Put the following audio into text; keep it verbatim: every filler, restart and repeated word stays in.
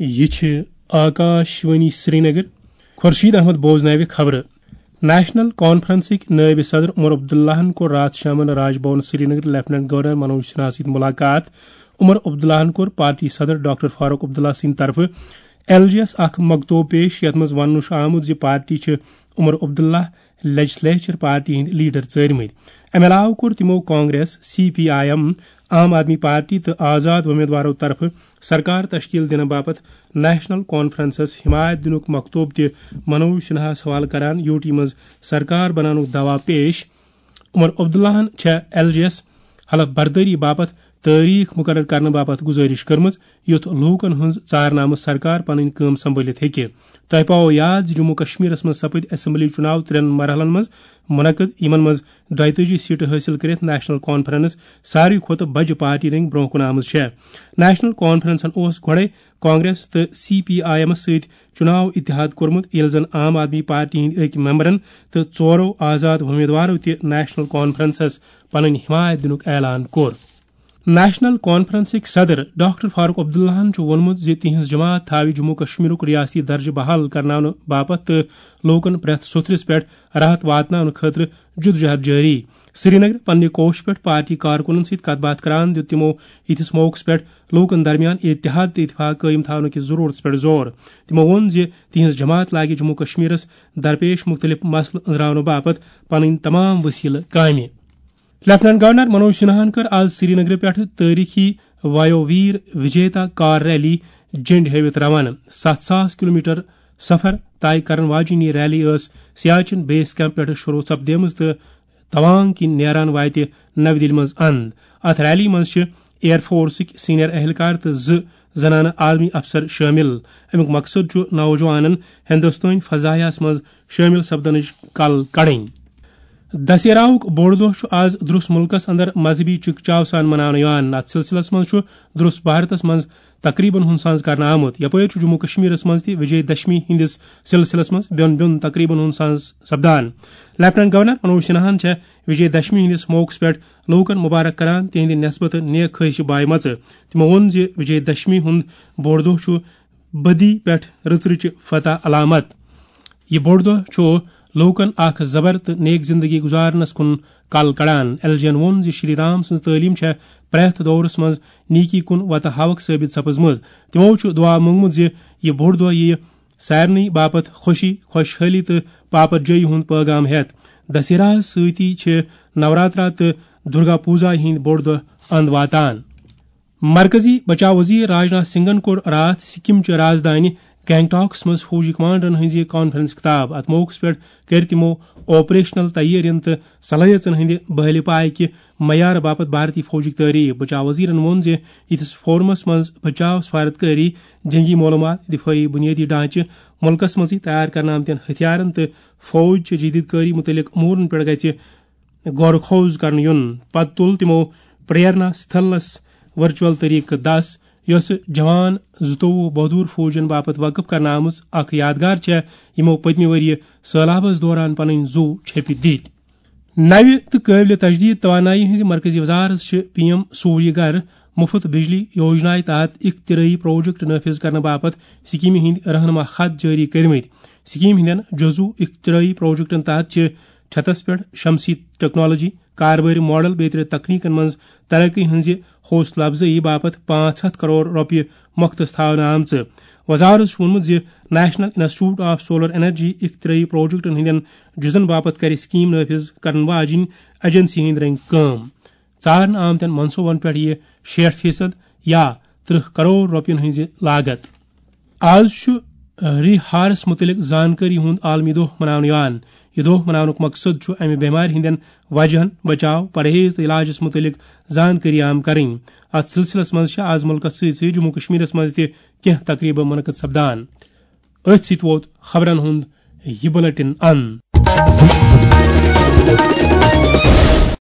یہِ چھِ آکاش وانی سرینگر۔ خورشید احمد بوزناوِ خبرٕ۔ نیشنل کانفرنسٕکۍ نٲیِب صدر عمر عبداللہَن کوٚر راتھ شامَن راج بھون سرینگر لیفٹیننٹ گورنر منوج سنہا سۭتۍ ملاقات۔ عمر عبداللہَن کوٚر پارٹی صدر ڈاکٹر فاروق عبداللہ سٕنٛدِ طرفہٕ ایل جی یَس اکھ مکتوب پیش، یَتھ منٛز وننہٕ چھُ آمُت زِ پارٹی چھِ عمر عبداللہ لیجسلیچر پارٹی ہٕنٛدۍ لیڈر ژٲرمٕتۍ۔ اَمہِ علاوٕ کوٚر تِمو Congress, C P I M, Aam Aadmi party تہٕ آزاد وۄمیدوارو طرفہٕ سرکار تشکیل دِنہٕ باپتھ نیشنل کانفرنسس حمایت دِنُک مکتوب تہِ منوج سنہاہَس حوالہٕ کران یوٗ ٹی منٛز سرکار بناونُک دعویٰ پیش۔ عمر عبداللہَن چھےٚ ایل جی یَس حلف بردٲری باپتھ تٲریخ مقرر کرنہٕ باپتھ گزٲرش کٔرمٕژ، یُتھ لوٗکن ہٕنٛز ژارنامہٕ سرکار پنٕنۍ کٲم سنبھٲلِتھ ہیٚکہِ۔ تۄہہِ پاوو یاد زِ جموں کشمیرس منٛز سپٕدۍ اسمبلی چُناو ترٛٮ۪ن مرحلن منٛز منعقد، یِمن منٛز دۄیتٲجی سیٹہٕ حٲصِل کٔرِتھ نیشنل کانفرنس ساروی کھۄتہٕ بجہِ پارٹی رٔنگۍ برونٛہہ کُن آمٕژ چھےٚ۔ نیشنل کانفرنسن اوس گۄڈے کانگریس تہٕ سی پی آئی ایمس سۭتۍ چُناو اتحاد کوٚرمُت، ییٚلہِ زن عام آدمی پارٹی ہٕنٛدۍ أکۍ ممبرن تہٕ ژورو آزاد وۄمیدوارو تہِ نیشنل کانفرنسس پنٕنۍ حمایت دِنُک اعلان کوٚر۔ نیشنل کانفرنسٕکۍ صدر ڈاکٹر فاروق عبداللہَن چھُ ووٚنمُت زِ تِہنٛز جماعت تھاوِ جموں کشمیرُک ریاستی درجہٕ بحال کرناونہٕ باپتھ تہٕ لوٗکن پرٛٮ۪تھ سوٚتھرِس پٮ۪ٹھ راحت واتناونہٕ خٲطرٕ جدوجہد جٲری۔ سرینگر پننہِ کوش پٮ۪ٹھ پارٹی کارکُنن سۭتۍ کتھ باتھ کران دِیُت تِمو یِتھِس موقعس پٮ۪ٹھ لوٗکن درمیان اتحاد تہٕ اتفاق قٲیِم تھاونہٕ کِس ضروٗرتس پٮ۪ٹھ زور۔ تِمو ووٚن زِ تِہنٛز جماعت لاگہِ جموں کشمیرس درپیش مُختٔلِف مسلہٕ أنٛزراونہٕ باپتھ پنٕنۍ تمام وسیلہٕ کامہِ۔ لیفٹیننٹ گورنر منوج سنہاہن کٔر آز سرینگرٕ پٮ۪ٹھٕ تٲریخی وایو ویر وجیتا کار ریلی جنڈ ہٲوِتھ روانہٕ۔ ستھ ساس کلومیٹر سفر طے کرن واجیٚنۍ یہِ ریلی ٲس سیاچن بیس کیمپ پٮ۪ٹھٕ شروع سپدیمٕژ تہٕ توانگ کِنۍ نیران واتہِ نَوِ دِلہِ منٛز اند۔ اتھ ریلی منٛز چھِ ایئر فورسٕکۍ سینئر اہلکار تہٕ زٕ زنانہٕ عالمی افسر شٲمِل۔ امیُک مقصد چھُ نوجوانن ہندوستٲنۍ فضائیہس منٛز شٲمِل سپدنٕچ کل کڑٕنۍ۔ دسہراہُک بوٚڑ دۄہ چھُ آز درُس مُلکس اندر مذہبی چکچاو سان مناونہٕ یِوان۔ اتھ سلسلس منٛز چھُ درُس بھارتس منٛز تقریبن ہُنٛد سانز کرنہٕ آمُت۔ یپٲرۍ چھُ جموں کشمیرس منٛز تہِ وجے دشمی ہٕنٛدِس سلسلس منٛز بیوٚن بیوٚن تقریبن ہُنٛد سانز سپدان۔ لیفٹیننٹ گورنر منوج سنہاہن چھےٚ وجے دشمی ہٕنٛدِس موقعس پٮ۪ٹھ لوٗکن مبارک کران تِہنٛدِ نسبتہٕ نیک خواہشہِ بایمژٕ۔ تِمو ووٚن زِ وجے دشمی ہُنٛد بوٚڑ دۄہ چھُ بدی پٮ۪ٹھ رٕژ رٕچہِ فتح علامت۔ یہِ بوٚڑ دۄہ چھُ لوٗکن اکھ زبر تہٕ نیک زندگی گُزارنس کُن کل کڑان۔ ایل جی ین ووٚن زِ شری رام سٕنٛز تعلیٖم چھےٚ پرٛٮ۪تھ دورس منٛز نیکی کُن وتہٕ ہاوکھ ثٲبت سپٕزمٕژ۔ تِمو چھُ دعا مونگمُت زِ یہِ بوٚڑ دۄہ یِیہِ سارنٕے باپتھ خوشی، خۄشحٲلی تہٕ پاپت جٲیی ہُنٛد پٲغام ہٮ۪تھ۔ دسہراہس سۭتی چھِ نوراترا تہٕ درگا پوٗزا ہٕنٛدۍ بوٚڑ دۄہ اند واتان۔ مرکزی بچاو وزیر راجناتھ سنگھن کوٚر راتھ سکم چہِ راجدھانی گینگٹاکس منٛز فوجی کمانڈرن ہٕنٛزِ کانفرنس خطاب۔ اتھ موقعس پٮ۪ٹھ کٔرۍ تِمو آپریشنل تیٲرین تہٕ صلٲحیژن ہٕنٛدِ بحالہِ پایہِ کہِ معیار باپتھ بھارتی فوجٕکۍ تعریف۔ بچاو وزیرن ووٚن زِ یِتھِس فورمس منٛز بچاو سفارتکٲری، جنگی معلومات، دفٲعی بنیٲدی ڈھانچہٕ، مُلکس منٛزٕے تیار کرنہٕ آمتٮ۪ن ہتھیارن تہٕ فوج چہِ جدید کٲری مُتعلق امورن پٮ۪ٹھ گژھِ غور خوض کرنہٕ یُن۔ پتہٕ تُل تِمو پریرنا ستھلس ورچوئل طریقہٕ دس، یۄسہٕ جوان زٕتووُہ بہادر فوجن باپتھ وقف کرنہٕ آمٕژ اکھ یادگار چھےٚ، یِمو پٔتمہِ ؤرۍ یہِ سٔہلابس دوران پنٕنۍ زُو چھٔپِتھ دِتۍ۔ نوِ تہٕ قٲبلِ تجدید توانٲیی ہٕنٛزِ مرکزی وزارت چھِ پی ایم سوریہ گھر مُفت بجلی یوجنایہِ تحت اختراعی پروجیکٹ نافذ کرنہٕ باپتھ سکیمہِ ہٕنٛدۍ رہنما خط جٲری کٔرمٕتۍ۔ سکیمہِ ہٕنٛدٮ۪ن جزو اختراعی پروجیکٹن تحت چھِ چھتس پٮ۪ٹھ شمسی ٹیکنالوجی، کاربٲرۍ ماڈل بیترِ تکنیکن منٛز ترقی ہٕنٛزِ حوصلہٕ افزٲیی باپتھ پانٛژھ ہتھ کرور رۄپیہِ مۄختس تھاونہٕ آمژٕ۔ وزارت چھُ ووٚنمُت زِ national institute of solar energy اختراعی پروجیکٹن ہٕنٛدٮ۪ن جزن باپتھ کرِ سکیم نافذ کرن واجیٚنۍ ایجنسی ہٕنٛدۍ رٔنگۍ کٲم۔ ژارنہٕ آمتٮ۪ن منصوبن پٮ۪ٹھ یِیہِ شیٹھ فیصد یا ترٕٛہ کرور رۄپین ہٕنٛزِ لاگت۔ آز چھُ ری ہارس مُتعلق زانکٲری ہُنٛد عالمی دۄہ مناونہٕ یِوان۔ یہِ دۄہ مناونُک مقصد چھُ امہِ بٮ۪مارِ ہٕنٛدٮ۪ن وجہن، بچاو، پرہیز تہٕ علاجس مُتعلق زانکٲری عام کرٕنۍ۔ اتھ سلسلس منٛز چھِ آز مُلکس سۭتۍ سۭتۍ جموں کشمیرس منٛز تہِ کینٛہہ تقریبہٕ منعقد سپدان۔ أتھۍ سۭتۍ ووت خبرن ہُنٛد یہِ بُلٹن اند۔